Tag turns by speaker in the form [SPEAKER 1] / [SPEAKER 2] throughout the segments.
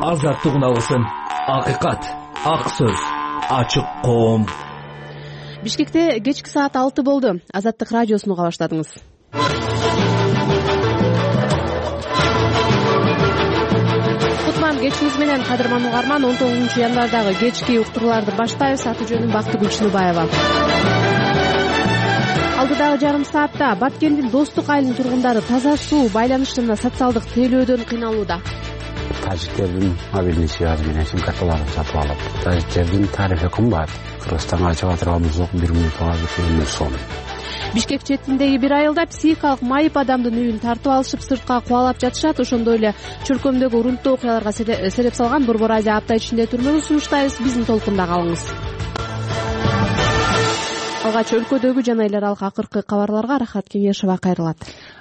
[SPEAKER 1] азаттык алгысын. Акыйкат, ак сөз, ачык коом.
[SPEAKER 2] Бишкекте кечки саат 6 болду. Азаттык радиосуну уга баштадыңыз. Кутман кечиңиз менен, кадырман угарман. 19-январдагы кечки уктурууларды баштайбыз. Аты жөнүм Бактыгүл Чыныбаева. Алдыдагы жарым саатта Баткендин Достук айылынын тургундары таза суу, байланыш жана социалдык тейлөөдөн кыйналууда.
[SPEAKER 3] Тажиктердин мобилдик связь менен сим карталарын сатып алып, тажиктердин тарифи кымбат. Кыргызстанга чыга турган болсок 1 минутка 1 сом.
[SPEAKER 2] Бишкек четиндеги бир айылда психикалык майып адамдын үйүн тартып алышып, сыртка кубалап жатышат. Ошондой эле чөлкөмдөгү урунттуу окуяларга сереп салган Борбор Азия апта ичинде түрмөгө сунуштайбыз. Биздин толкунда калыңыз. Алгач өлкөдөгү жана эл аралык акыркы кабарларга Рахат Кеңешова кайрылат.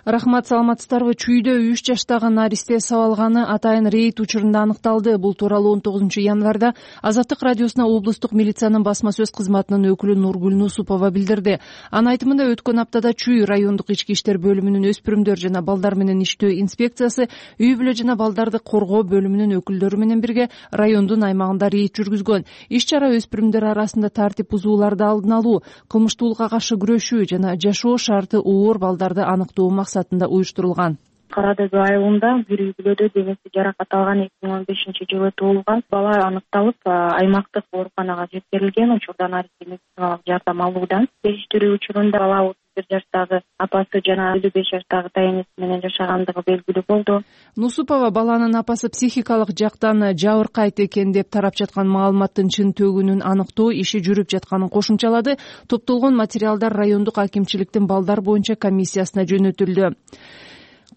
[SPEAKER 4] Рахмат, саламатсыздарбы? Чүйдө 3 жаштагы наристе сабалганы атайын рейд учурунда аныкталды. Бул тууралуу 19-январда Азаттык радиосуна облустук милициянын басма сөз кызматынын өкүлү Нургүл Нусупова билдирди. Анын айтымында өткөн аптада Чүй райондук ички иштер бөлүмүнүн өспүрүмдөр жана балдар менен иштөө инспекциясы үй бүлө жана балдарды коргоо бөлүмүнүн өкүлдөрү менен бирге райондун аймагында рейд жүргүзгөн. Иш-чара өспүрүмдөр арасында тартип бузууларды алдын алуу, кылмыштуулукка каршы күрөшүү жана жашоо шарты оор балдарды аныктоо максатында уюштурулган.
[SPEAKER 5] Карадөбү айылында бир үй бүлөдө денеси жаракат алган 2015-жылы туулган бала аныкталып, аймактык ооруканага жеткирилген. Учурда наристе медициналык жардам алуудан. Териштирүү учурунда бала 31 жаштагы апасы жана 55 жаштагы тайенеси менен жашагандыгы белгилүү болду.
[SPEAKER 4] Нусупова баланын апасы психикалык жактан жабыркайт экен деп тарап жаткан маалыматтын чын төгүнүн аныктоо иши жүрүп жатканын кошумчалады. Топтолгон материалдар райондук акимчиликтин балдар боюнча комиссиясына жөнөтүлдү.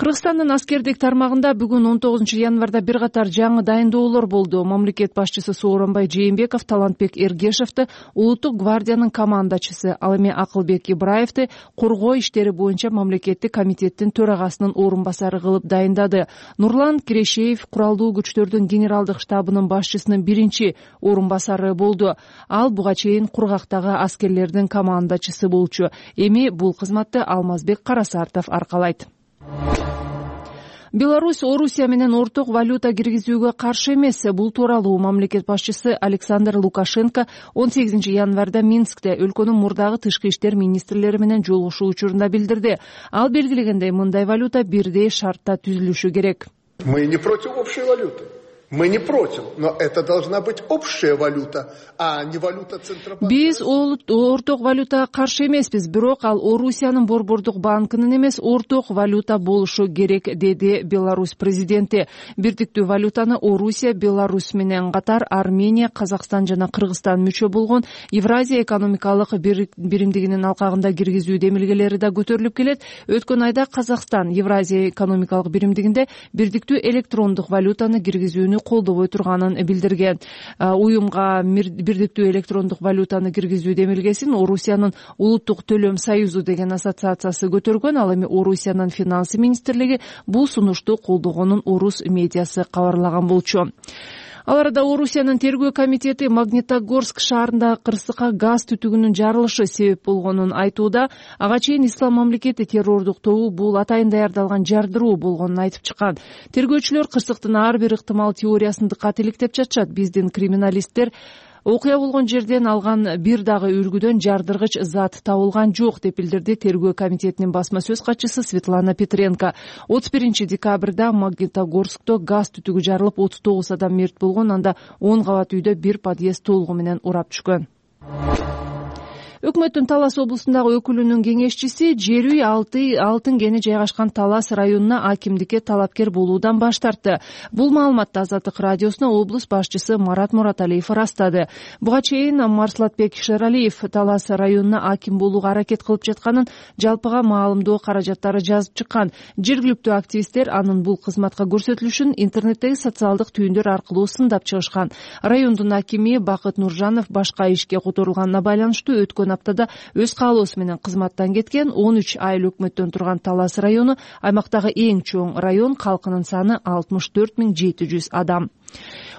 [SPEAKER 4] Кыргызстандын аскердик тармагында бүгүн 19-январда бир катар жаңы дайындоолор болду. Мамлекет башчысы Сооронбай Жээнбеков Талантбек Эргешевди улуттук гвардиянын командачысы, ал эми Акылбек Ибраевди коргоо иштери боюнча мамлекеттик комитеттин төрагасынын орун басары кылып дайындады. Нурлан Кирешеев куралдуу күчтөрдүн генералдык штабынын башчысынын биринчи орун басары болду. Ал буга чейин кургактагы аскерлердин командачысы болчу. Эми бул кызматты Алмазбек Карасартов аркалайт. Беларусь Орусия менен орток валюта киргизүүгө каршы эмес. Бул тууралуу мамлекет башчысы Александр Лукашенко 18-январда Минскте өлкөнүн мурдагы тышкы иштер министрлери менен жолугушуу учурунда билдирди. Ал белгилегендей, мындай валюта бирдей шартта түзүлүшү керек.
[SPEAKER 6] Мы не против общей валюты. Мы не против, но это должна быть общая валюта, а не валюта Центробанка.
[SPEAKER 4] Биз орток валюта каршы эмеспиз, бирок ал Орусиянын борбордук банкынын эмес, орток валюта болушу керек, деди Беларусь президенти. Бирдиктүү валютаны Орусия, Беларусь менен катар Армения, Казакстан жана Кыргызстан мүчө болгон Евразия экономикалык биримдигинин алкагында киргизүү демилгелери да көтөрүлүп келет. Өткөн айда Казакстан Евразия экономикалык биримдигинде бирдиктүү электрондук валютаны киргизүүнү колдобой турганын билдирген. Уюмга бирдиктүү электрондук валютаны киргизүү демилгесин Орусиянын улуттук төлөм союзу деген ассоциациясы көтөргөн. Ал эми Орусиянын финансы министрлиги бул сунушту колдогонун орус медиасы кабарлаган болчу. Ал арада Орусиянын тергөө комитети Магнитогорск шаарындагы кырсыкка газ түтүгүнүн жарылышы себеп болгонун айтууда. Ага чейин Ислам мамлекети террордук тобу бул атайын даярдалган жардыруу болгонун айтып чыккан. Тергөөчүлөр кырсыктын ар бир ыктымал теориясын дыкат иликтеп жатышат. Биздин криминалисттер окуя болгон жерден алган бир дагы үлгүдөн жардыргыч зат табылган жок деп билдирди тергөө комитетинин басма сөз катчысы Светлана Петренко. 31-декабрда Магнитогорскто газ түтүгү жарылып 39 адам мерт болгон, анда 10 кабат үйдө бир подъезд толугу менен урап түшкөн. Өкмөттүн Талас облусундагы өкүлүнүн кеңешчиси жер үй алтын кени жайгашкан Талас районуна акимдикке талапкер болуудан баш тартты. Бул маалыматты Азаттык радиосуна облус башчысы Марат Мураталиев ырастады. Буга чейин Марслатбек Шералиев Талас районуна аким болууга аракет кылып жатканын, жалпыга маалымдоо каражаттары жазып чыккан. Жергиликтүү активисттер анын бул кызматка көрсөтүлүшүн интернеттеги социалдык түйүндөр аркылуу сындап чыгышкан. Райондун акими Бакыт Нуржанов башка ишке которулганына байланыштуу өткөн аптада өз каалоосу менен кызматтан кеткен. 13 айыл өкмөттөн турган Талас району аймактагы эң чоң район, калкынын саны 64 700 адам.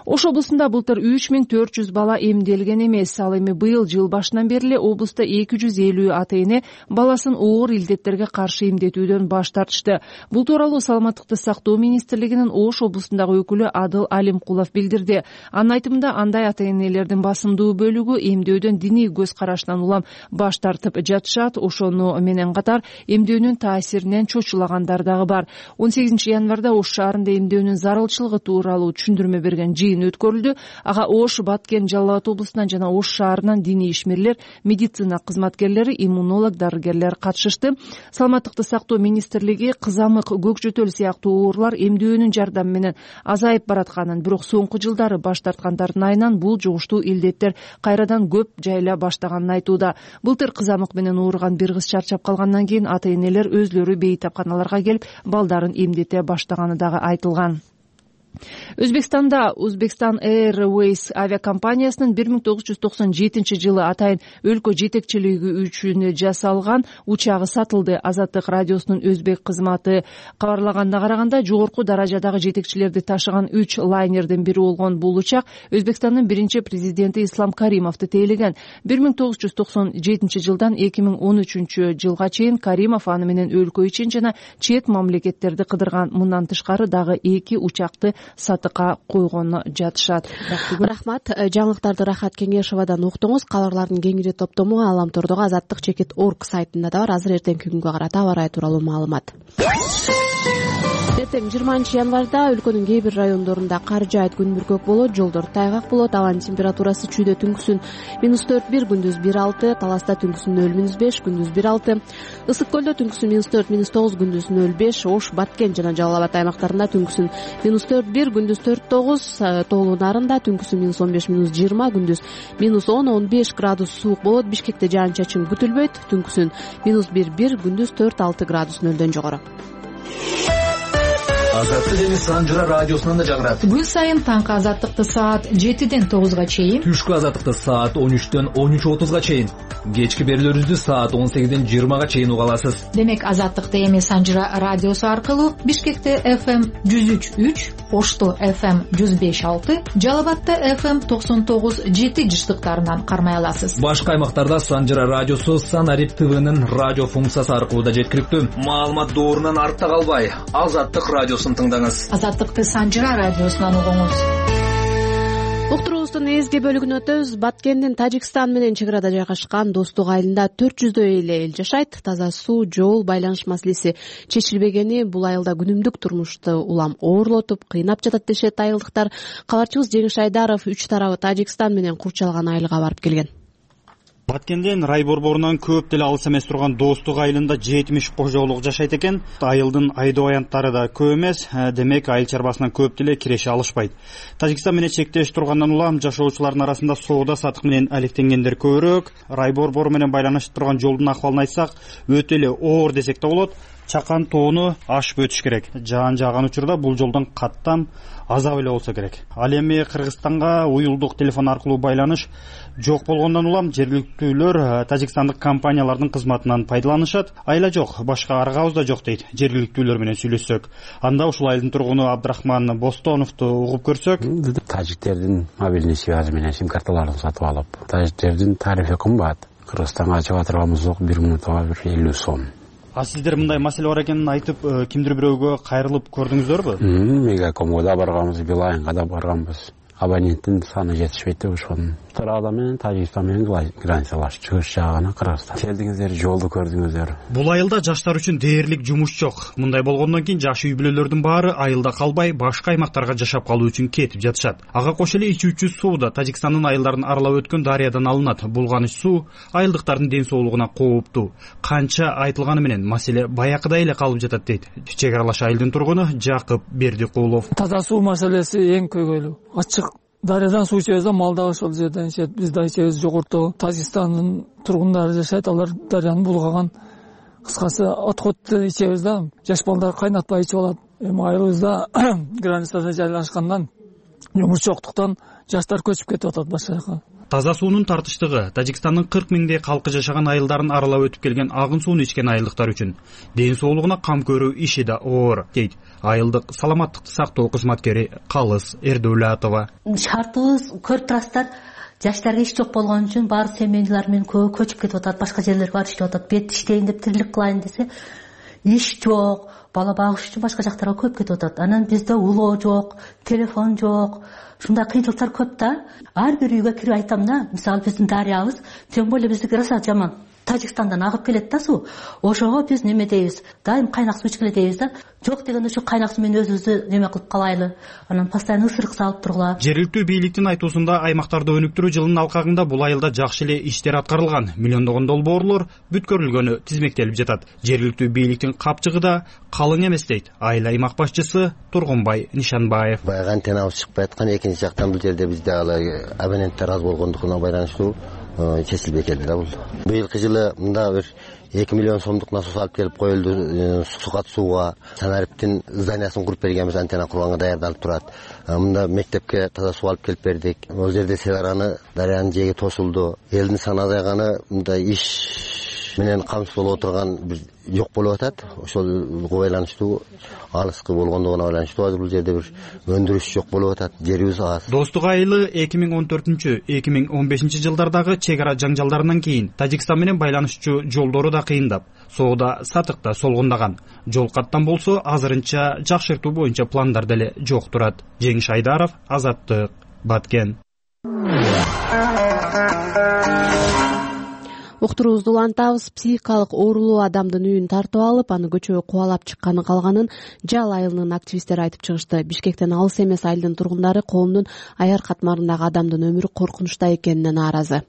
[SPEAKER 4] Ош облусунда былтыр 3400 бала эмделген эмес. Ал эми быйыл жыл башынан бери эле облуста 250 ата-эне баласын оор илдеттерге каршы эмдетүүдөн баш тартышты. Бул тууралуу Саламаттыкты сактоо министрлигинин Ош облусундагы өкүлү Адыл Алимкулов билдирди. Анын айтымында андай ата-энелердин басымдуу бөлүгү эмдөөдөн диний көз карашынан улам баш тартып жатышат. Ошону менен катар эмдөөнүн таасиринен чочулагандар дагы бар. 18 январда Ош шаарында эмдөөнүн зарылчылыгы тууралуу түшүндүрмө берген өткөрүлдү. Ага Ош, Баткен, Жалал Абад облусунан жана Ош шаарынан диний ишмерлер, медицина кызматкерлери, иммунолог, дарыгерлер катышышты. Саламаттыкты сактоо министрлиги кызамык, көкжөтөл сыяктуу оорулар эмдөөнүн жардамы менен азайып баратканын, бирок соңку жылдары баш тарткандардын айынан бул жугуштуу илдеттер кайрадан көп жайла баштаганын айтууда. Былтыр кызамык менен ооруган бир кыз чарчап калгандан кийин ата-энелер өзлөрү бейтапканаларга келип балдарын эмдете баштаганы дагы айтылган. Өзбекстанда Uzbekistan Airways авиакомпаниясынын 1997 жылы атайын өлкө жетекчилиги үчүн жасалган учагы сатылды. Азаттык радиосунун өзбек кызматы кабарлаганына караганда, жогорку даражадагы жетекчилерди ташыган 3 лайнердин бири болгон бул учак Өзбекстандын биринчи президенти Ислам Каримовду тейлеген. 1997 жылдан 2013 жылга чейин Каримов аны менен өлкө ичин жана чет мамлекеттерди кыдырган. Мындан тышкары дагы 2 учакты сатыкка койгону жатышат.
[SPEAKER 2] Рахмат. Жаңылыктарды Рахат Кеңешовадан уктуңуз. Кабарлардын кеңири топтому Аламтордогу azattik.org сайтында да бар. Азыр эртеңки күнгө карата аба ырайы тууралуу маалымат. Эртең 20 январда өлкөнүн кээ бир райондорунда кар жаайт, күн бүркөк болот, жолдор тайгак болот. Абанын температурасы чүйдө түнкүсүн -4-1, күндүз 1-6, Таласта түнкүсүн 0-5, күндүз 1-6, Ысык көлдө түнкүсүн -4-9, күндүз 0-5, Ош, Баткен жана Жалал Абад аймактарында түнкүсүн -4-1, күндүз 4-9, Тоолуу Нарында түнкүсүн -15-20, күндүз -10-15 градус суук болот. Бишкекте жаан-чачын күтүлбөйт, түнкүсүн -1-1, күндүз 4-6 градус нөлдөн жогору.
[SPEAKER 1] Азаттык эми Санжыра радиосунан да жагырат.
[SPEAKER 7] Күн сайын таңкы азаттыкты саат 7-ден 9га чейин,
[SPEAKER 1] Түшкү азаттыкты саат 13-төн 13:30га чейин, кечки берүүлөрүбүздү саат 18-ден 20га чейин уга аласыз.
[SPEAKER 7] Демек азаттыкты эми Санжыра радиосу аркылуу Бишкекте FM 103.3, Ошто FM 105.6, Жалал Абадта FM 99.7 жыштыктарынан кармай аласыз.
[SPEAKER 1] Башка аймактарда Санжыра радиосу Санарип ТВнын радио функциясы аркылуу да жеткиликтүү. Маалымат доорунан артта калбай, Азаттык радиосун тыңдаңыз.
[SPEAKER 7] Азаттыкты Санжыра радиосунан угуңуз.
[SPEAKER 2] Уктуруубуздун эзги бөлүгүнө өтөбүз. Баткендин Тажикстан менен чек арада жайгашкан Достук айылында 400дөй эле эл жашайт. Таза суу, жол, байланыш маселеси чечилбегени бул айылда күнүмдүк турмушту улам оорлотуп, кыйнап жатат дешет айылдыктар. Кабарчыбыз Жеңиш Айдаров үч тарабы Тажикстан менен курчалган айылга барып келген.
[SPEAKER 8] Баткендин рай борборунан көп деле алыс эмес турган Достук айылында 70 кожолук жашайт экен. Айылдын айдоо аянттары да көп эмес, демек айыл чарбасынан көп деле киреше алышпайт. Тажикстан менен чектеш тургандан улам жашоочулардын арасында соода сатык менен алектенгендер көбүрөөк. Рай борбору менен байланышып турган жолдун акыбалын айтсак, өтө эле оор десек да болот. Чакан тоону ашып өтүш керек. Жаан жааган учурда бул жолдон каттам азап эле болсо керек. Ал эми Кыргызстанга уюлдук телефон аркылуу байланыш жок болгондон улам жергиликтүүлөр тажикстандык компаниялардын кызматынан пайдаланышат. Айла жок, башка аргабыз да жок дейт жергиликтүүлөр менен сүйлөшсөк. Анда ушул айылдын тургуну Абдрахман Бостоновду угуп көрсөк,
[SPEAKER 3] тажиктердин мобильный связь менен сим карталарын сатып алып, тажиктердин тарифи кымбат. Кыргызстанга чыга турганыбыз жок, 1 минутка 50 сом.
[SPEAKER 8] А сиздер мындай маселе бар экенин айтып, кимдир бирөөгө кайрылып көрдүңүздөрбү?
[SPEAKER 3] Мегакомго да барганбыз, Билайнга да барганбыз. Абоненттин саны жетишпейт деп ошону. Тарада менен Тажикстан менен границалаш, чыгыш жагына Кыргызстан. Келдиңиздер, жолду көрдүңүздөр.
[SPEAKER 8] Бул айылда жаштар үчүн дээрлик жумуш жок. Мындай болгондон кийин жаш үй бүлөлөрдүн баары айылда калбай, башка аймактарга жашап калуу үчүн кетип жатышат. Ага кошо эле ичүүчү суу да Тажикстандын айылдарын аралап өткөн дарыядан алынат. Булганыч суу айылдыктардын ден соолугуна кооптуу. Канча айтылганы менен маселе баякыдай эле калып жатат дейт чек аралаш айылдын тургуну Жакып Бердикулов.
[SPEAKER 9] Таза суу маселеси эң көйгөйлүү. Ачык дарыядан суу ичебиз да, мал дагы ошол жерден ичет, биз да ичебиз. Жогорто Тажикстандын тургундары жашайт, алар дарыяны булгаган. Кыскасы отход ичебиз да, жаш балдар кайнатпай ичип алат. Эми айылыбызда границада жайлашкандан жумуш жоктуктан жаштар көчүп кетип атат башка жака.
[SPEAKER 8] Таза суунун тартыштыгы Тажикстандын 40 миңдей калкы жашаган айылдарын аралап өтүп келген агын сууну ичкен айылдыктар үчүн ден соолугуна кам көрүү иши да оор, дейт айылдык саламаттыкты сактоо кызматкери Калыс Эрдүүлатова.
[SPEAKER 10] Шартыбыз көрүп турасыздар, жаштарга иш жок болгон үчүн баары семьялар менен көчүп кетип атат, башка жерлерге барып иштеп атат. Бет иштейин деп тирилик кылайын десе, иш жок, бала багыш үчүн башка жактарга көп кетип атат. Анан бизде улоо жок, телефон жок. Ушундай кыйынчылыктар көп да. Ар бир үйгө кирип айтам да, мисалы биздин дарыябыз, тем более биздики роса жаман. Тажикстандан агып келет да суу. Ошого биз неме дейбиз? Дайым кайнак суу ичкиле дейбиз да. Жок дегенде ушу кайнак суу менен өзүбүздү неме кылып калайлы. Анан постоянно ысырык салып тургула.
[SPEAKER 8] Жергиликтүү бийликтин айтуусунда аймактарды өнүктүрүү жылынын алкагында бул айылда жакшы эле иштер аткарылган. Миллиондогон долбоорлор бүткөрүлгөнү тизмектелип жатат. Жергиликтүү бийликтин капчыгы да калың эмес, дейт айыл аймак башчысы Тургунбай Нишанбаев.
[SPEAKER 11] Баягы антеннабыз чыкпай аткан, экинчи жактан бул жерде бизде абоненттер аз болгондугуна байланыштуу чечилбей келди да бул. Быйылкы жылы мында бир 2 миллион сомдук насос алып келип коюлду. Сукат сууга Санариптин зданиясын куруп бергенбиз, антенна курганга даярдалып турат. Мында мектепке таза суу алып келип бердик. Ол жерде Селараны дарыянын жээги тосулду. Элдин саны азайганы мында иш менен камсыз болуп отурган бир жок болуп атат. Ошолго байланыштуу, алыскы болгондугуна байланыштуу азыр бул жерде бир өндүрүш жок болуп атат. Жерибиз аз.
[SPEAKER 8] Достук айылы 2014-2015 жылдардагы чек ара жаңжалдарынан кийин Тажикстан менен байланышчу жолдору да кыйындап, соода сатык да солгундаган. Жол каттан болсо азырынча жакшыртуу боюнча пландар деле жок турат. Жеңиш Айдаров, Азаттык, Баткен.
[SPEAKER 2] Уктуруубузду улантабыз. Психикалык оорулуу адамдын үйүн тартып алып, аны көчөгө кубалап чыкканы калганын Жал айылынын активисттери айтып чыгышты. Бишкектен алыс эмес айылдын тургундары коомдун аяр катмарындагы адамдын өмүрү коркунучта экенине нааразы.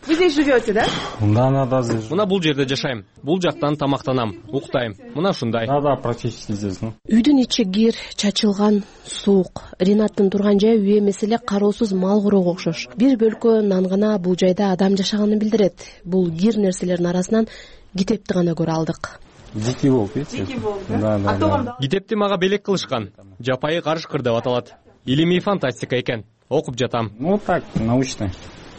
[SPEAKER 12] Вы здесь живете, да?
[SPEAKER 13] Да.
[SPEAKER 12] Мына бул жерде жашайм. Бул жактан тамактанам, уктайм. Мына ушундай.
[SPEAKER 13] Да, практически здесь.
[SPEAKER 2] Үйдүн ичи кир, чачылган, суук. Ринаттын турган жайы үй эмес эле кароосуз мал короого окшош. Бир бөлкө нан гана бул жайда адам жашаганын билдирет. Бул кир нерселердин арасынан китепти гана көрө алдык.
[SPEAKER 13] Дикий волк, видите?
[SPEAKER 12] Дикий волк, да?
[SPEAKER 13] Да.
[SPEAKER 12] Китепти мага белек кылышкан. Жапайы карышкыр деп аталат. Илимий фантастика экен. Окуп жатам.
[SPEAKER 13] Так, научный.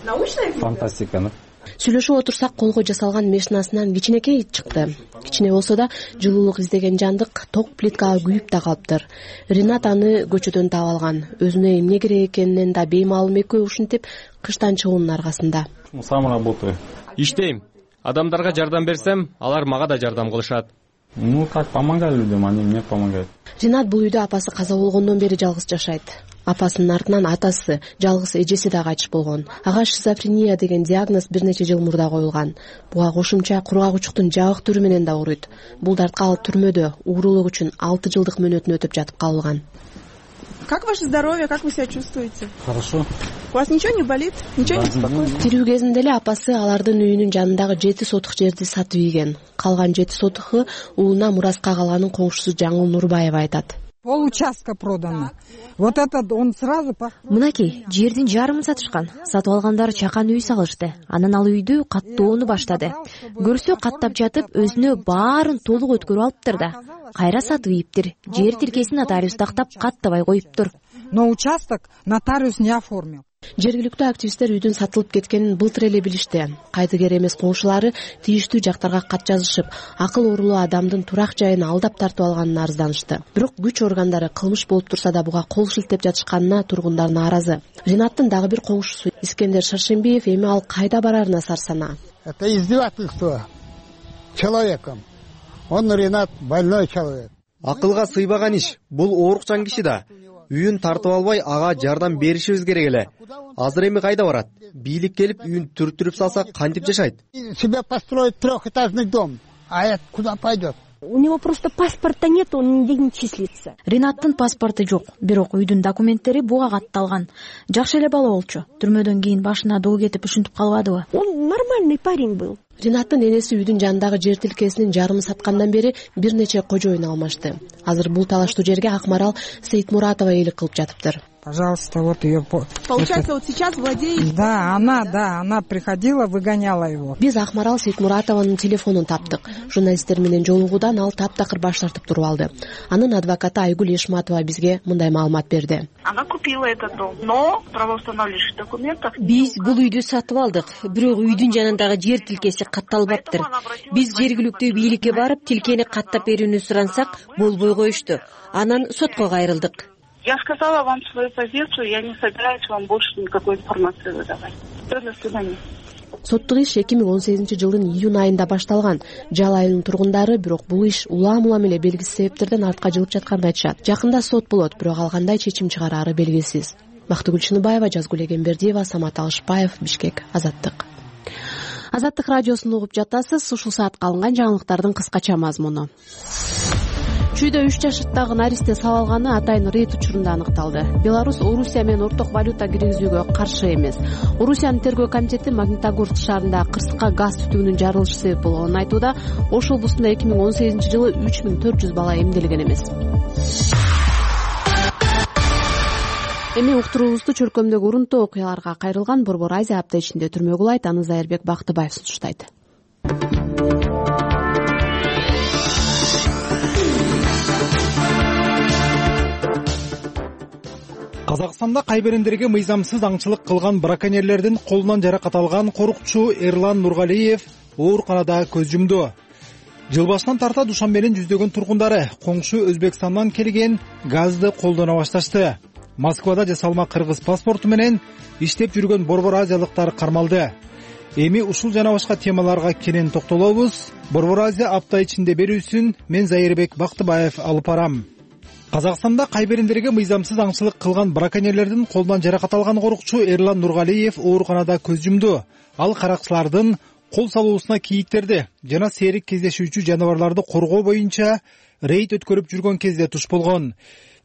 [SPEAKER 12] Научный
[SPEAKER 13] фантастика, да?
[SPEAKER 2] Сүйлөшүп отурсак, колго жасалган мешнасынан кичинекей ит чыкты. Кичине болсо да жылуулук издеген жандык ток плиткага күйүп да калыптыр. Ринат аны көчөдөн таап алган. Өзүнө эмне керек экенинен да беймаалым экөө ушинтип кыштан чыгуунун аркасында.
[SPEAKER 13] Сам работаю.
[SPEAKER 12] Иштейм. Адамдарга жардам берсем, алар мага да жардам кылышат.
[SPEAKER 13] Как помогаю людям, они мне помогают.
[SPEAKER 2] Ринат бул үйдө апасы каза болгондон бери жалгыз жашайт. Апасынын артынан атасы, жалгыз эжеси да кайтыш болгон. Ага шизофрения деген диагноз бир нече жыл мурда коюлган. Буга кошумча кургагучтук жабык түрү менен да ооруйт. Бул дартка ал түрмөдө уурулук үчүн 6 жылдык мөөнөтүн өтүп жатып калган.
[SPEAKER 12] Как ваше здоровье, как вы себя чувствуете?
[SPEAKER 13] Хорошо.
[SPEAKER 12] У вас ничего не болит? Ничего не беспокоит?
[SPEAKER 2] Тирүү кезинде эле апасы алардын үйүнүн жанындагы 7 сотук жерди сатып ийген. Калган 7 сотуху уулуна мураска калганын коңшусу Жаңыл Нурбаева айтат.
[SPEAKER 14] Получастка продано. Вот этот он сразу...
[SPEAKER 15] Мынакей, жердин жарымын сатышкан. Сатып алгандар чакан үй салышты. Анан ал үйдү каттоону баштады. Көрсө каттап жатып, өзүнө баарын толук өткөрүп алыптыр да. Кайра сатып ийиптир. Жер тиркесин нотариус тактап каттабай коюптур.
[SPEAKER 14] Но участок нотариус не оформил.
[SPEAKER 2] Жергиликтүү активисттер үйдүн сатылып кеткенин былтыр эле билишти. Кайдыгер эмес коңшулары тийиштүү жактарга кат жазышып, акыл оорулуу адамдын турак жайын алдап тартып алганын арызданышты. Бирок күч органдары кылмыш болуп турса да буга кол шилтеп жатышканына тургундар нааразы. Ринаттын дагы бир коңшусу Искендер Шаршембиев эми ал кайда барарына сарсана.
[SPEAKER 16] Это издевательство человеком. Он Ринат больной человек.
[SPEAKER 17] Акылга сыйбаган иш. Бул оорукчан киши да. Үйүн тартып албай ага жардам беришибиз керек эле. Азыр эми кайда барат? Бийлик келип үйүн түртүрүп салса кантип жашайт?
[SPEAKER 16] Себе построить трехэтажный дом. А это куда пойдет?
[SPEAKER 15] У него просто паспорта нет, он нигде не числится. Ринаттын паспорту жок, бирок үйдүн документтери буга катталган. Жакшы эле бала болчу. Түрмөдөн кийин башына доо кетип ушинтип калбадыбы?
[SPEAKER 14] Он нормальный парень был.
[SPEAKER 2] Ринаттын энеси үйдүн жанындагы жер тилкесинин жарымын саткандан бери бир нече кожоюн алмашты. Азыр бул талаштуу жерге Акмарал Сейитмуратова ээлик кылып жатыптыр.
[SPEAKER 14] пожалуйста, вот ее.
[SPEAKER 18] Получается, вот сейчас владеет...
[SPEAKER 14] Да, она приходила, выгоняла его.
[SPEAKER 2] Биз Акмарал Сейтмуратованын телефонун таптык. Журналисттер менен жолугуудан ал таптакыр баш тартып туруп алды. Анын адвокаты Айгүл Эшматова бизге мындай маалымат берди.
[SPEAKER 18] Она купила этот дом, но правоустанавливающих документов...
[SPEAKER 19] Биз бул үйдү сатып алдык, бирок үйдүн жанындагы жер тилкеси катталбаптыр. Биз жергиликтүү бийликке барып, тилкени каттап берүүнү сурансак, болбой коюшту. Анан сотко кайрылдык.
[SPEAKER 18] Я сказала вам свою позицию, я не собираюсь вам больше никакой информации выдавать. До свидания.
[SPEAKER 2] Соттук иш 2018 жылдын июнь айында башталган. Жал айылынын тургундары бирок бул иш улам эле белгисиз себептерден артка жылып жатканын айтышат. Жакында сот болот, бирок ал кандай чечим чыгарары белгисиз. Бактыгүл Чыныбаева, Жазгүл Эгембердиева, Самат Алышбаев, Бишкек, Азаттык. Азаттык радиосун угуп жатасыз. Ушул саатка алынган жаңылыктардын кыскача мазмуну. Чүйдө 3 жаштагы наристе сабалганы атайын рейд учурунда аныкталды. Беларусь Орусия менен орток валюта киргизүүгө каршы эмес. Орусиянын тергөө комитети Магнитогорск шаарында кырсыкка газ түтүгүнүн жарылышы себеп болгонун айтууда. Ош облусунда 2018 жылы 3400 бала эмделген эмес. Эми уктуруубузду чөлкөмдөгү урунтуу окуяларга кайрылган Борбор Азия апта ичинде түрмө кулайт. Аны Зайырбек Бактыбаев сунуштайт.
[SPEAKER 20] Казакстанда кайбирендерге мыйзамсыз аңчылык кылган браконьерлердин колунан жаракат алган корукчу Эрлан Нургалиев ооруканада көз жумду. Жыл башынан тарта Душанбенин жүздөгөн тургундары коңшу Өзбекстандан келген газды колдоно башташты. Москвада жасалма кыргыз паспорту менен иштеп жүргөн Борбор Азиялыктар кармалды. Эми ушул жана башка темаларга кенен токтолобуз. Борбор Азия апта ичинде берүүсүн мен Зайырбек Бактыбаев алып барам. Казакстанда кайбирендерге мыйзамсыз аңчылык кылган браконьерлердин колунан жаракат алган корукчу Эрлан Нургалиев ооруканада көз жумду. Ал каракчылардын кол салуусуна кийиктерди жана серик кездешүүчү жаныбарларды коргоо боюнча рейд өткөрүп жүргөн кезде туш болгон.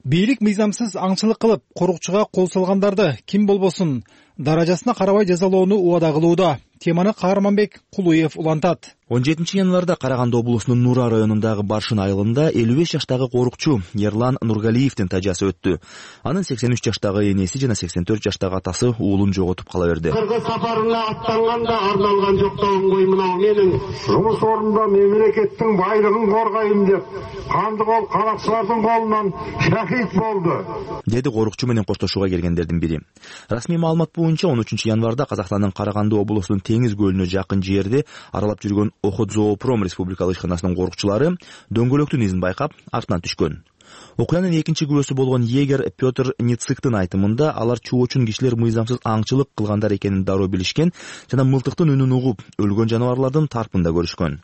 [SPEAKER 20] Бийлик мыйзамсыз аңчылык кылып, корукчуга кол салгандарды ким болбосун даражасына карабай жазалоону убада кылууда. Теманы Каарманбек Кулуев улантат.
[SPEAKER 21] 17 январда Караганды облусунун Нура районундагы Баршын айылында 55 жаштагы корукчу Эрлан Нургалиевдин тажасы өттү. Анын 83 жаштагы энеси жана 84 жаштагы атасы уулун жоготуп кала берди.
[SPEAKER 22] Кыргыз сапарына аттанганда арналган жоктогун кой мынау менин жумуш орнунда мемлекеттин байлыгын коргойм деп канды кол каракчылардын колунан шахид болду,
[SPEAKER 21] деди корукчу менен коштошууга келгендердин бири. Расмий маалымат боюнча 13 январда Казакстандын Караганды облусунун Теңиз көлүнө жакын жерде аралап жүргөн Охотзоопром республикалык ишканасынын корукчулары дөңгөлөктүн изин байкап артынан түшкөн. Окуянын экинчи күбөсү болгон егер Петр Ницыктын айтымында алар чоочун кишилер мыйзамсыз аңчылык кылгандар экенин дароо билишкен жана мылтыктын үнүн угуп өлгөн жаныбарлардын тарпында көрүшкөн.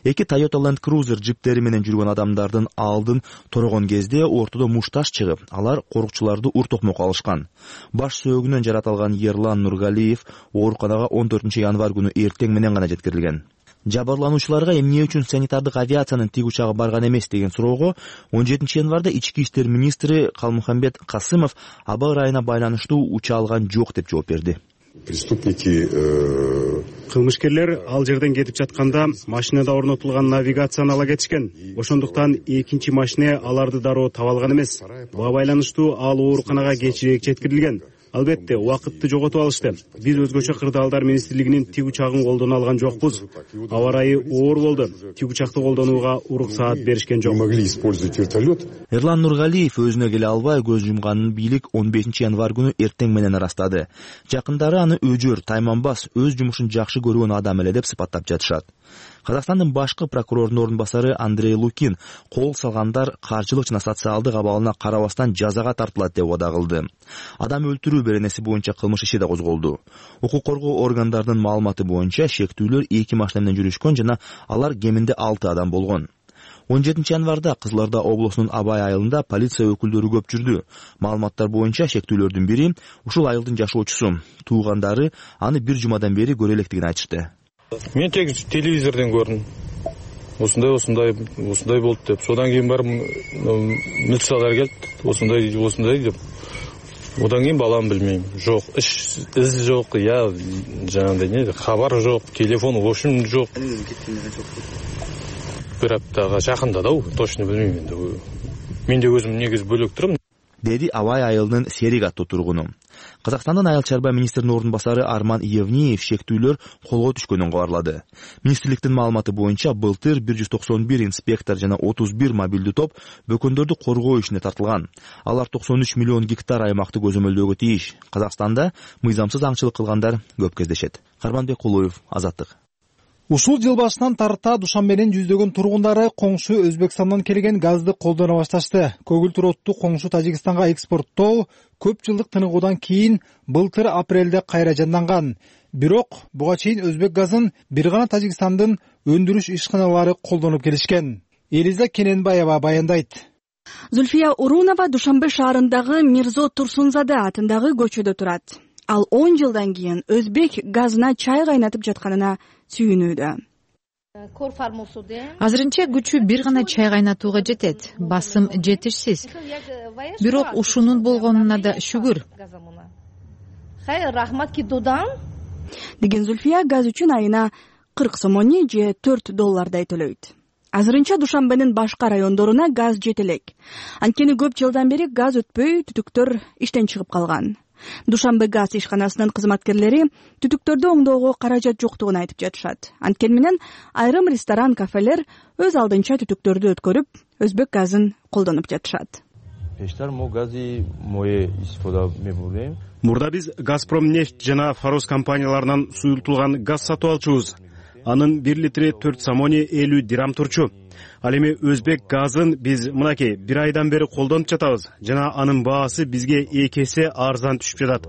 [SPEAKER 21] Эки Toyota Land Cruiser джиптери менен жүргөн адамдардын алдын торогон кезде ортодо мушташ чыгып, алар корукчуларды ур-токмокко алышкан. Баш сөөгүнөн жаратылган Эрлан Нургалиев ооруканага 14 январ күнү эртең менен гана жеткирилген. Жабырлануучуларга эмне үчүн санитардык авиациянын тик учагы барган эмес деген суроого 17 январда ички иштер министри Калмухамбет Касымов аба ырайына байланыштуу уча алган жок деп жооп берди.
[SPEAKER 23] Преступники кылмышкерлер ал жерден кетип жатканда машинада орнотулган навигацияны ала кетишкен. Ошондуктан экинчи машина аларды дароо таба алган эмес. Буга байланыштуу ал ооруканага кечирээк жеткирилген. Албетте, убакытты жоготуп алышты. Биз өзгөчө кырдаалдар министрлигинин тик учагын колдоно алган жокпуз. Аба ырайы оор болду. Тик учакты колдонууга уруксаат беришкен жок.
[SPEAKER 21] Эрлан Нургалиев өзүнө келе албай көз жумганын бийлик 15 январ күнү эртең менен ырастады. Жакындары аны өжөр, тайманбас, өз жумушун жакшы көргөн адам эле деп сыпаттап жатышат. Казакстандын башкы прокурорунун орун басары Андрей Лукин кол салгандар каржылык жана социалдык абалына карабастан жазага тартылат деп убада кылды. Адам өлтүрүү беренеси боюнча кылмыш иши да козголду. Укук коргоо органдарынын маалыматы боюнча шектүүлөр 2 машина менен жүрүшкөн жана алар кеминде 6 адам болгон. 17 январда Кызыл Орда облусунун Абай айылында полиция өкүлдөрү көп жүрдү. Маалыматтар боюнча шектүүлөрдүн бири ушул айылдын жашоочусу. Туугандары аны бир жумадан бери көрө электигин айтышты.
[SPEAKER 24] Мен тек телевизордон көрдүм. Осындай болду деп. Содан кийин барып милициялар келди. Осындай деп. Одан кийин балам билмейм. Жок, из жок, я жанагындай не, хабар жок, телефон ошун жок. Бир аптага жакында да, точно билмейм энди. Мен де өзүм негиз бөлөк турам.
[SPEAKER 21] деди Абай айылынын Серик аттуу тургуну. Казакстандын айыл чарба министринин ордун басары Арман Евниев шектүүлөр колго түшкөнүн кабарлады. Министрликтин маалыматы боюнча былтыр 191 инспектор жана 31 мобилдүү топ бөкөндөрдү коргоо ишине тартылган. Алар 93 миллион гектар аймакты көзөмөлдөөгө тийиш. Казакстанда мыйзамсыз аңчылык кылгандар көп кездешет. Карманбек Кулуев, Азаттык.
[SPEAKER 20] Ушул жыл башынан тарта Душанбенин жүздөгөн тургундары коңшу Өзбекстандан келген газды колдоно башташты. Көгүлтүр отту коңшу Тажикстанга экспорттоо көп жылдык тыныгуудан кийин былтыр апрелде кайра жанданган. Бирок буга чейин өзбек газын бир гана Тажикстандын өндүрүш ишканалары колдонуп келишкен. Элиза Кененбаева баяндайт.
[SPEAKER 1] Зульфия Урунова Душанбе шаарындагы Мирзо Турсунзаде атындагы көчөдө турат. Ал 10 жылдан кийин өзбек газына чай кайнатып жатканына сүйүнүүдө.
[SPEAKER 7] Азырынча күчү бир гана чай кайнатууга жетет. Басым жетишсиз. Бирок ушунун болгонуна да шүгүр.
[SPEAKER 1] Деген Зульфия газ үчүн айына 40 сомони же $4 төлөйт. Азырынча Душанбенин башка райондоруна газ жете элек. Анткени көп жылдан бери газ өтпөй түтүктөр иштен чыгып калган. Душанбе газ ишканасынын кызматкерлери түтүктөрдү оңдоого каражат жоктугун айтып жатышат. Анткени менен айрым ресторан, кафелер өз алдынча түтүктөрдү өткөрүп, өзбек газын колдонуп жатышат.
[SPEAKER 23] Мурда биз Газпромнефть жана Фарос компанияларынан суюлтулган газ сатып алчубуз. Анын 1 литри 4 сомони 50 дирам турчу. Ал эми өзбек газын биз мынакей 1 айдан бери колдонуп жатабыз жана анын баасы бизге 2 эсе арзан түшүп жатат.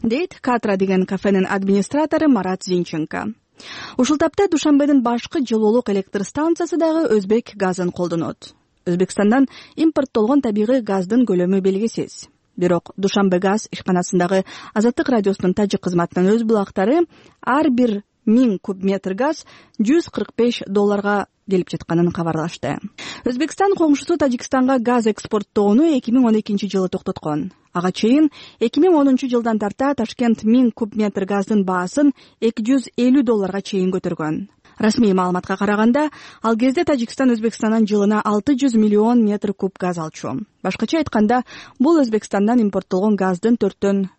[SPEAKER 1] Дейт Катра деген кафенин администратору Марат Зинченко. Ушул тапта Душанбенин башкы жылуулук электр станциясы дагы өзбек газын колдонот. Өзбекстандан импорттолгон табигый газдын көлөмү белгисиз. Бирок Душанбе газ ишканасындагы Азаттык радиосунун тажик кызматынын өз булактары ар бир 1000 куб метр газ $145 келип жатканын кабарлашты. Өзбекстан коңшусу Тажикстанга газ экспорттоону 2012 жылы токтоткон. Ага чейин 2010 жылдан тарта Ташкент 1000 куб метр газдын баасын $250 чейин көтөргөн. Расмий маалыматка караганда, ал кезде Тажикстан Өзбекстандан жылына 600 миллион метр куб газ алчу. Башкача айтканда, бул Өзбекстандан импорттолгон газдын 1/4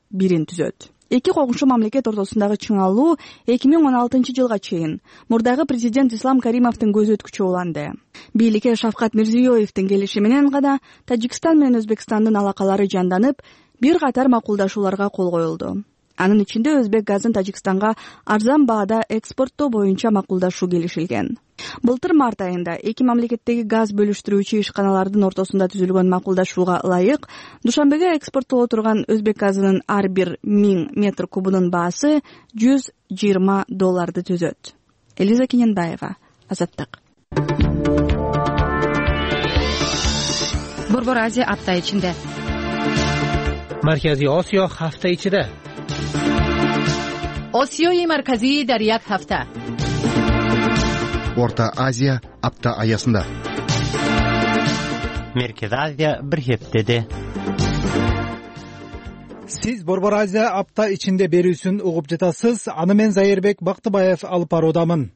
[SPEAKER 1] түзөт. Эки коңшу мамлекет ортосундагы чыңалуу 2016 жылга чейин мурдагы президент Ислам Каримовдун көз өткүчү уланды. Бийликке Шавкат Мирзиёевдин келиши менен гана Тажикстан менен Өзбекстандын алакалары жанданып, бир катар макулдашууларга кол коюлду. Анын ичинде өзбек газын Тажикстанга арзан баада экспорттоо боюнча макулдашуу келишилген. Былтыр март айында эки мамлекеттеги газ бөлүштүрүүчү ишканалардын ортосунда түзүлгөн макулдашууга ылайык Душанбеге экспорттоло турган өзбек газынын ар бир 1000 метр кубунун баасы $120 түзөт. Элиза Кененбаева, Азаттык.
[SPEAKER 4] Борбор Азия апта ичинде.
[SPEAKER 5] Марказий Осиё hafta ichida.
[SPEAKER 4] Осиёи марказии дар як ҳафта.
[SPEAKER 6] Орта Азия апта аясында.
[SPEAKER 5] Меркез Азия бир хептеде.
[SPEAKER 20] Сиз Борбор Азия апта ичинде берүүсүн угуп жатасыз. Аны мен Зайырбек Бактыбаев алып баруудамын.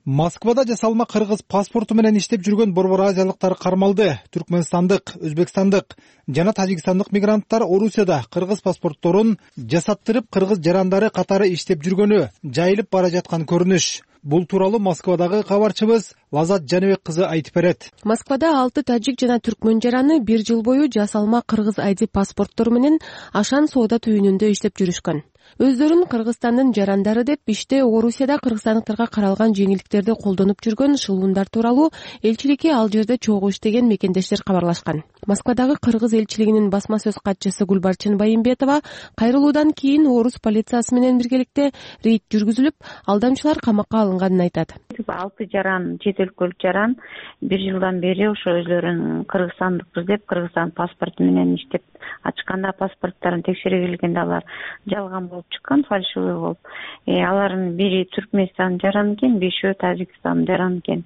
[SPEAKER 20] Москвада жасалма кыргыз паспорту менен иштеп жүргөн борбор азиялыктар кармалды. Түркмөнстандык, өзбекстандык жана тажикстандык мигранттар Орусияда кыргыз паспортторун жасаттырып кыргыз жарандары катары иштеп жүргөнү жайылып бара жаткан көрүнүш. Бул тууралуу Москвадагы кабарчыбыз Лазат Жаныбек кызы айтып берет.
[SPEAKER 2] Москвада 6 тажик жана түркмөн жараны 1 жыл бою жасалма кыргыз ID паспорттору менен Ашан соода түйүнүндө иштеп жүрүшкөн. Өздөрүн Кыргызстандын жарандары деп иште Орусияда кыргызстандыктарга каралган жеңилдиктерди колдонуп жүргөн шылуундар тууралуу элчиликке ал жерде чогуу иштеген мекендештер кабарлашкан. Москвадагы кыргыз элчилигинин басма сөз катчысы Гүлбарчын Байымбетова кайрылуудан кийин орус полициясы менен биргеликте рейд жүргүзүлүп, алдамчылар камакка алынганын айтат.
[SPEAKER 25] 6 жаран, чет өлкөлүк жаран 1 жылдан бери ошо өзлөрүн кыргызстандыкпыз деп Кыргызстан паспорту менен иштеп ачканда паспорттарын текшере келгенде алар жалган болуп чыккан, фальшивый болуп. Алардын бири Түркмөнстан жараны экен, 5-өө Тажикстан жараны экен.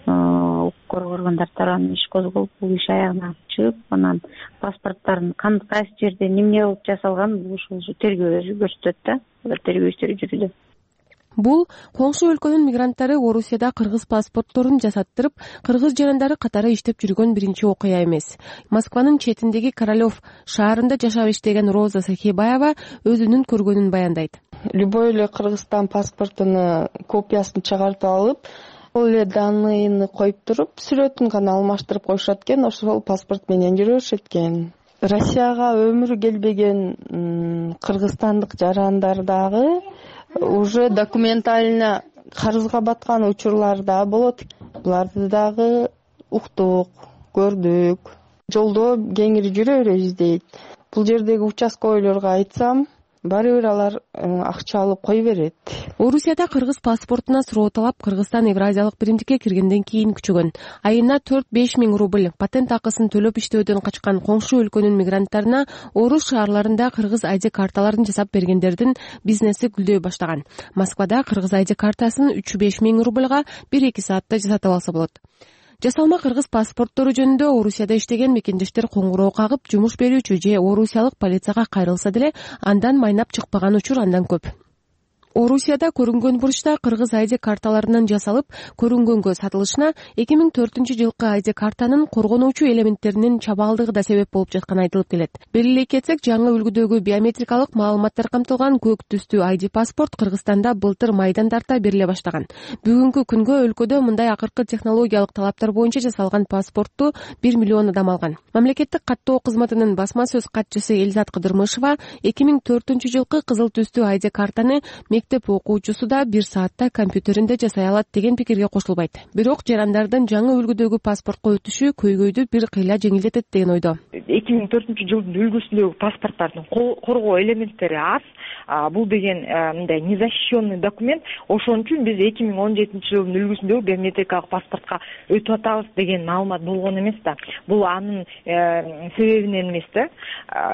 [SPEAKER 25] Укук органдар тарабынан иш козголуп, бул иш аягына чыгып, анан паспорттардын кайсы жерде эмне болуп жасалган ушул тергөө көрсөтөт да. Алар тергөө иштери жүрүүдө.
[SPEAKER 2] Бул коңшу өлкөнүн мигранттары Орусияда кыргыз паспортторун жасаттырып, кыргыз жарандары катары иштеп жүргөн биринчи окуя эмес. Москванын четиндеги Королев шаарында жашап иштеген Роза Сахибаева өзүнүн көргөнүн баяндайт.
[SPEAKER 3] Любой эле Кыргызстан паспортунун копиясын чыгартып алып, ал эле данныйын коюп туруп, сүрөтүн гана алмаштырып коюшат экен, ошол паспорт менен жүрүшөт экен. Россияга өмүрү келбеген кыргызстандык жарандар дагы уже документально карызга баткан учурлар да болот. Буларды дагы уктук, көрдүк. Жолдо кеңири жүрө беребиз дейт. Бул жердеги участковыйларга айтсам, баары бир алар акча алып кой берет.
[SPEAKER 2] Орусияда кыргыз паспортуна суроо талап Кыргызстан Евразиялык биримдикке киргенден кийин күчөгөн. Айына 4-5 миң рубль патент акысын төлөп иштөөдөн качкан коңшу өлкөнүн мигранттарына Орус шаарларында кыргыз ID карталарын жасап бергендердин бизнеси гүлдөй баштаган. Москвада кыргыз ID картасын 3-5 миң рубльга 1-2 саатта жасатып алса болот. Жасалма кыргыз паспорттору жөнүндө Орусияда иштеген мекендештер коңгуроо кагып, жумуш берүүчү же орусиялык полицияга кайрылса деле андан майнап чыкпаган учур андан көп. Орусияда көрүнгөн бурчта кыргыз ID карталарынан жасалып, көрүнгөнгө сатылышына 2004-жылкы ID картанын коргонуучу элементтеринин чабаалдыгы да себеп болуп жатканы айтылып келет. Белгилей кетсек, жаңы үлгүдөгү биометрикалык маалыматтар камтылган көк түстүү ID паспорт Кыргызстанда былтыр майдан тарта бериле баштаган. Бүгүнкү күнгө өлкөдө мындай акыркы технологиялык талаптар боюнча жасалган паспортту 1 миллион адам алган. Мамлекеттик каттоо кызматынын басма сөз катчысы Элизат Кыдырмышева 2004-жылкы кызыл түстүү ID картаны мектеп окуучусу да 1 саатта компьютеринде жасай алат деген пикирге кошулбайт. Бирок жарандардын жаңы үлгүдөгү паспортко өтүшү көйгөйдү бир кыйла жеңилдетет деген ойдо.
[SPEAKER 8] 2004-жылдын үлгүсүндөгү паспорттардын коргоо элементтери аз. Бул деген мындай незащищенный документ. Ошон үчүн биз 2017-жылдын үлгүсүндөгү биометрикалык паспортко өтүп атабыз деген маалымат болгон эмес да. Бул анын себебинен эмес да.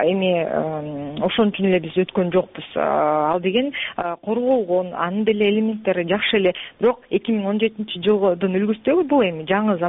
[SPEAKER 8] Эми ошон үчүн эле биз өткөн жокпуз. Ал деген корголгон, анын деле элементтери жакшы эле. Бирок 2017-жылдын үлгүсүндөгү бул эми жаңы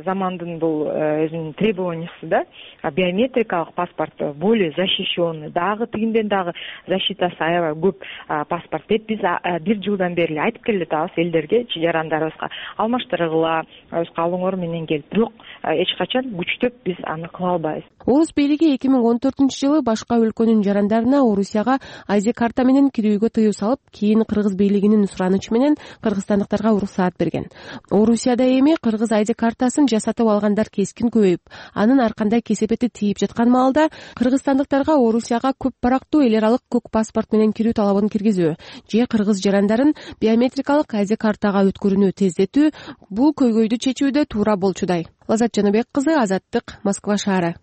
[SPEAKER 8] замандын бул өзүнүн требованиясы да. Биометрикалык паспорт более защищенный, дагы тигинден дагы защитасы аябай көп паспорт деп биз 1 жылдан бери айтып келе жатабыз элдерге, жарандарыбызга алмаштыргыла, өз каалооңор менен келип. Бирок эч качан күчтөп биз аны кыла албайбыз.
[SPEAKER 2] Орус бийлиги 2014-жылы башка өлкөнүн жарандарына Орусияга ID карта менен кирүүгө тыюу салып, кийин кыргыз бийлигинин суранычы менен кыргызстандыктарга уруксаат берген. Орусияда эми кыргыз ID картасын жасатып алгандар кескин көбөйүп, анын ар кандай кесепети тийип жаткан маалда кыргызстандыктарга Орусияга көп барактуу эл аралык көк паспорт менен кирүү талабын киргизүү же кыргыз жарандарын биометрикалык ID картага өткөрүүнү тездетүү бул көйгөйдү чечүүдө туура болчудай. Лазат Жаныбек кызы, Азаттык, Москва шаары.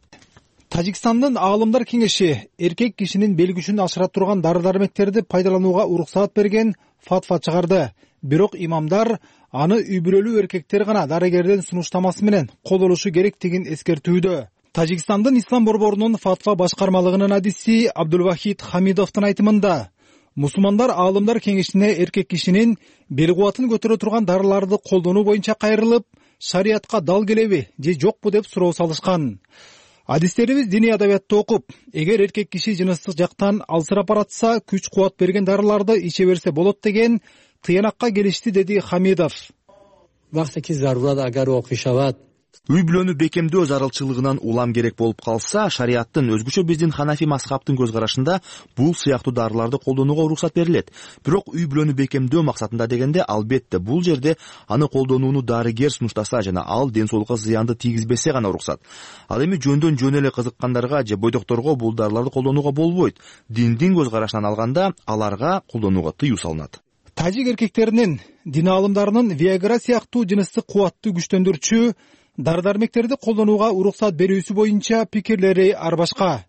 [SPEAKER 20] Тажикстандын аалымдар кеңеши эркек кишинин белгүчүн ашыра турган дары-дармектерди пайдаланууга уруксаат берген фатва чыгарды. Бирок имамдар аны үй бүлөлүү эркектер гана дарыгердин сунуштамасы менен колдонушу керектигин эскертүүдө. Тажикстандын ислам борборунун фатва башкармалыгынын адиси Абдулвахид Хамидовдун айтымында, мусулмандар аалымдар кеңешине эркек кишинин бел кубатын көтөрө турган дарыларды колдонуу боюнча кайрылып, шариятка дал келеби же жокпу деп суроо салышкан. Адистерибиз диний адабиятты окуп, эгер эркек киши жыныстык жактан алсырап баратса, күч кубат берген дарыларды иче берсе болот деген тыянакка келишти, деди Хамидов.
[SPEAKER 21] Үй бүлөнү бекемдөө зарылчылыгынан улам керек болуп калса, шариаттын, өзгөчө биздин Ханафи мазхабтын көз карашында бул сыяктуу дарыларды колдонууга уруксат берилет. Бирок үй бүлөнү бекемдөө максатында дегенде, албетте бул жерде аны колдонууну дарыгер сунуштаса жана ал ден соолукка зыянды тийгизбесе гана уруксат. Ал эми жөндөн жөн эле кызыккандарга же бойдокторго бул дарыларды колдонууга болбойт. Диндин көз карашынан алганда аларга колдонууга тыюу салынат.
[SPEAKER 20] Тажик эркектеринин, дин аалымдарынын Viagra сыяктуу жыныстык кубатты күчтөндүрүүчү дары-дармектерди колдонууга уруксат берүүсү боюнча пикирлери ар башка.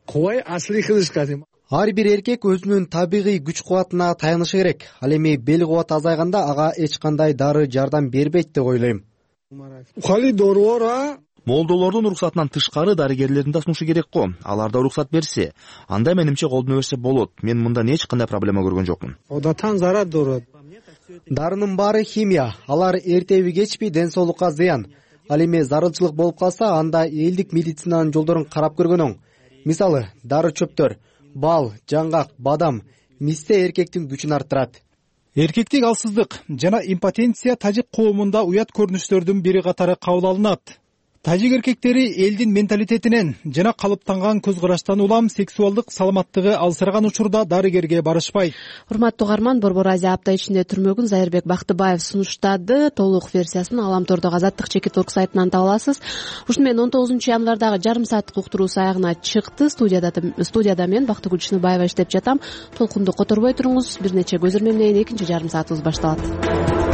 [SPEAKER 17] Ар бир эркек өзүнүн табигый күч кубатына таянышы керек. Ал эми бел кубаты азайганда ага эч кандай дары жардам бербейт деп ойлойм.
[SPEAKER 21] Молдолордун уруксатынан тышкары дарыгерлердин да сунушу керек го. Алар да уруксат берсе, анда менимче колдоно берсе болот. Мен мындан эч кандай проблема көргөн жокмун.
[SPEAKER 17] Дарынын баары химия. Алар эртеби кечпи ден соолукка зыян. Ал эми зарылчылык болуп калса, анда элдик медицинанын жолдорун карап көргөн оң. Мисалы, дары чөптөр, бал, жаңгак, бадам, мисте эркектин күчүн арттырат.
[SPEAKER 20] Эркектик алсыздык жана импотенция тажик коомунда уят көрүнүштөрдүн бири катары кабыл алынат. Тажик эркектери элдин менталитетинен жана калыптанган көз караштан улам сексуалдык саламаттыгы алсыраган учурда дарыгерге барышпайт.
[SPEAKER 2] Урматтуу угарман, Борбор Азия апта ичинде түрмөгүн Зайырбек Бактыбаев сунуштады. Толук версиясын Аламтордогу Азаттык Чекит.орг сайтынан таба аласыз. Ушуну менен 19 январдагы жарым сааттык уктуруу аягына чыкты. Студияда мен Бактыгүл Чыныбаева иштеп жатам. Толкунду которбой туруңуз. Бир нече көзөрмө менен экинчи жарым саатыбыз башталат.